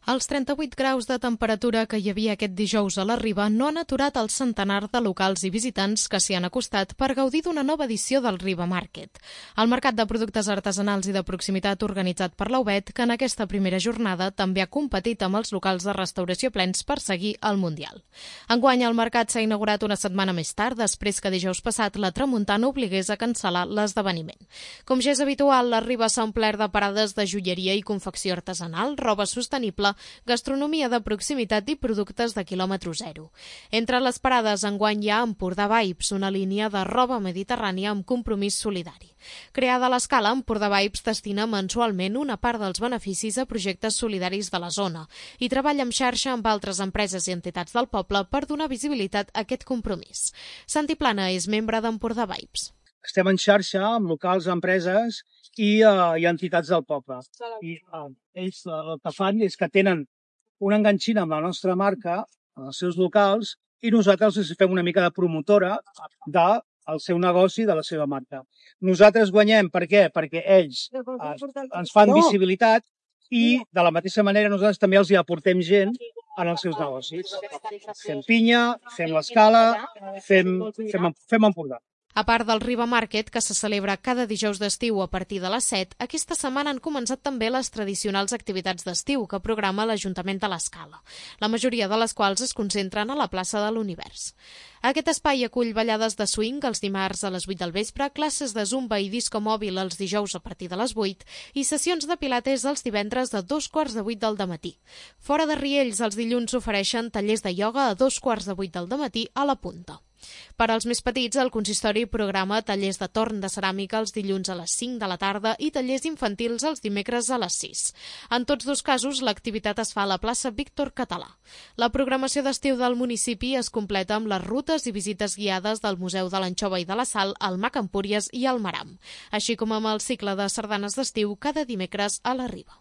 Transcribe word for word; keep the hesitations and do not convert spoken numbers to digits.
Els trenta-vuit graus de temperatura que hi havia aquest dijous a la Riba no han aturat el centenar de locals i visitants que s'hi han acostat per gaudir d'una nova edició del Riba Market. El mercat de productes artesanals i de proximitat organitzat per la U B E T, que en aquesta primera jornada també ha competit amb els locals de restauració plens per seguir el Mundial. Enguany, el mercat s'ha inaugurat una setmana més tard, després que dijous passat la tramuntana obligués a cancel·lar l'esdeveniment. Com ja és habitual, la Riba s'ha omplert de parades de joieria i confecció artesanal, roba sostenible, gastronomia de proximitat i productes de quilòmetre zero. Entre les parades, enguany hi ha Empordà Vibes, una línia de roba mediterrània amb compromís solidari. Creada a l'escala, Empordà Vibes destina mensualment una part dels beneficis a projectes solidaris de la zona i treballa en xarxa amb altres empreses i entitats del poble per donar visibilitat a aquest compromís. Santi Plana és membre d'Empordà Vibes. Estem en xarxa amb locals, empreses i, uh, i entitats del poble. I uh, ells uh, el que fan és que tenen una enganxina amb la nostra marca, els seus locals, i nosaltres els fem una mica de promotora del seu negoci, de la seva marca. Nosaltres guanyem, per què? Perquè ells uh, ens fan visibilitat i, de la mateixa manera, nosaltres també els hi aportem gent en els seus negocis. Fem pinya, fem l'escala, fem, fem, fem Empordà. A part del Riba Market, que se celebra cada dijous d'estiu a partir de les set, aquesta setmana han començat també les tradicionals activitats d'estiu que programa l'Ajuntament de l'Escala, la majoria de les quals es concentren a la plaça de l'Univers. Aquest espai acull ballades de swing els dimarts a les vuit del vespre, classes de zumba i disco mòbil els dijous a partir de les vuit i sessions de pilates els divendres de dos quarts de vuit del dematí. Fora de Riells, els dilluns s'ofereixen tallers de ioga a dos quarts de vuit del dematí a la Punta. Per als més petits, el consistori programa tallers de torn de ceràmica els dilluns a les cinc de la tarda i tallers infantils els dimecres a les sis. En tots dos casos, l'activitat es fa a la plaça Víctor Català. La programació d'estiu del municipi es completa amb les rutes i visites guiades del Museu de l'Anxova i de la Sal, el Mac Empúries i el Maram, així com amb el cicle de sardanes d'estiu cada dimecres a la Riba.